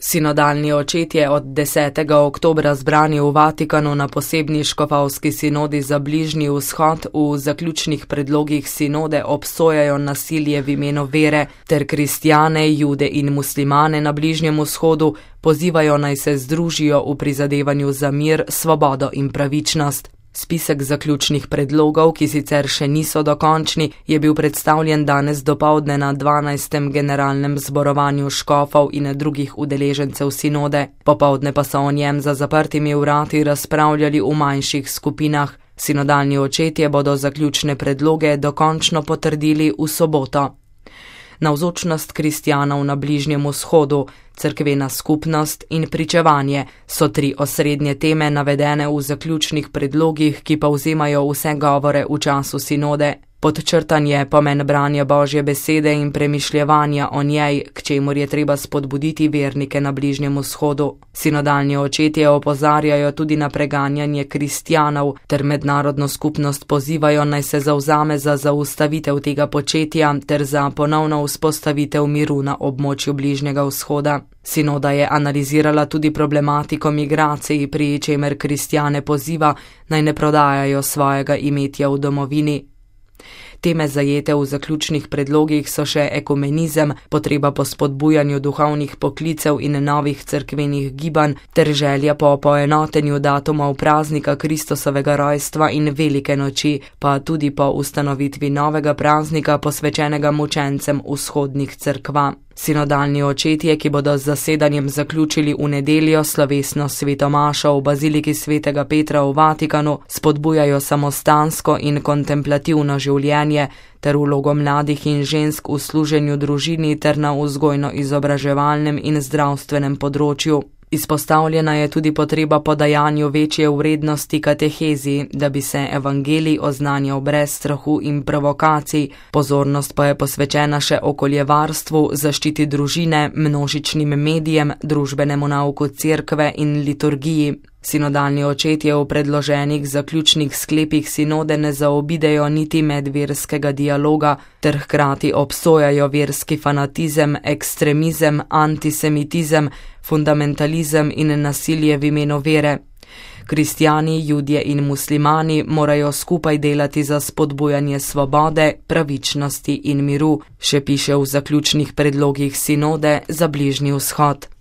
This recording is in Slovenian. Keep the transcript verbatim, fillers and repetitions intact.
Sinodalni očetje od desetega oktobra zbrani v Vatikanu na posebni škofovski sinodi za Bližnji vzhod v zaključnih predlogih sinode obsojajo nasilje v imenu vere ter kristjane, jude in muslimane na Bližnjem vzhodu pozivajo naj se združijo v prizadevanju za mir, svobodo in pravičnost. Spisek zaključnih predlogov, ki sicer še niso dokončni, je bil predstavljen danes dopoldne na dvanajstem generalnem zborovanju škofov in drugih udeležencev sinode. Popoldne pa so o njem za zaprtimi vrati razpravljali v manjših skupinah. Sinodalni očetje bodo zaključne predloge dokončno potrdili v soboto. Navzočnost kristjanov na Bližnjem vzhodu, cerkvena skupnost in pričevanje so tri osrednje teme navedene v zaključnih predlogih, ki povzemajo vse govore v času sinode. Podčrtan je pomen branja Božje besede in premišljevanja o njej, k čemur je treba spodbuditi vernike na Bližnjem vzhodu. Sinodalni očetje opozarjajo tudi na preganjanje kristjanov ter mednarodno skupnost pozivajo naj se zavzame za zaustavitev tega početja ter za ponovno vzpostavitev miru na območju Bližnjega vzhoda. Sinoda je analizirala tudi problematiko migracij, pri čemer kristjane poziva naj ne prodajajo svojega imetja v domovini. Teme zajete v zaključnih predlogih so še ekumenizem, potreba po spodbujanju duhovnih poklicev in novih cerkvenih gibanj ter želja po poenotenju datumov praznika Kristusovega rojstva in velike noči, pa tudi po ustanovitvi novega praznika posvečenega mučencem vzhodnih cerkva. Sinodalni očetje, ki bodo z zasedanjem zaključili v nedeljo slovesno sveto mašo v baziliki svetega Petra v Vatikanu, spodbujajo samostansko in kontemplativno življenje ter vlogo mladih in žensk v služenju družini ter na vzgojno-izobraževalnem in zdravstvenem področju. Izpostavljena je tudi potreba po dajanju večje vrednosti katehezi, da bi se evangelij oznanjal brez strahu in provokacij. Pozornost pa je posvečena še okoljevarstvu, zaščiti družine, množičnim medijem, družbenemu nauku cerkve in liturgiji. Sinodalni očetje v predloženih zaključnih sklepih sinode ne zaobidejo niti medverskega dialoga ter hkrati obsojajo verski fanatizem, ekstremizem, antisemitizem, fundamentalizem in nasilje v imenu vere. Kristjani, judje in muslimani morajo skupaj delati za spodbujanje svobode, pravičnosti in miru, še piše v zaključnih predlogih sinode za Bližnji vzhod.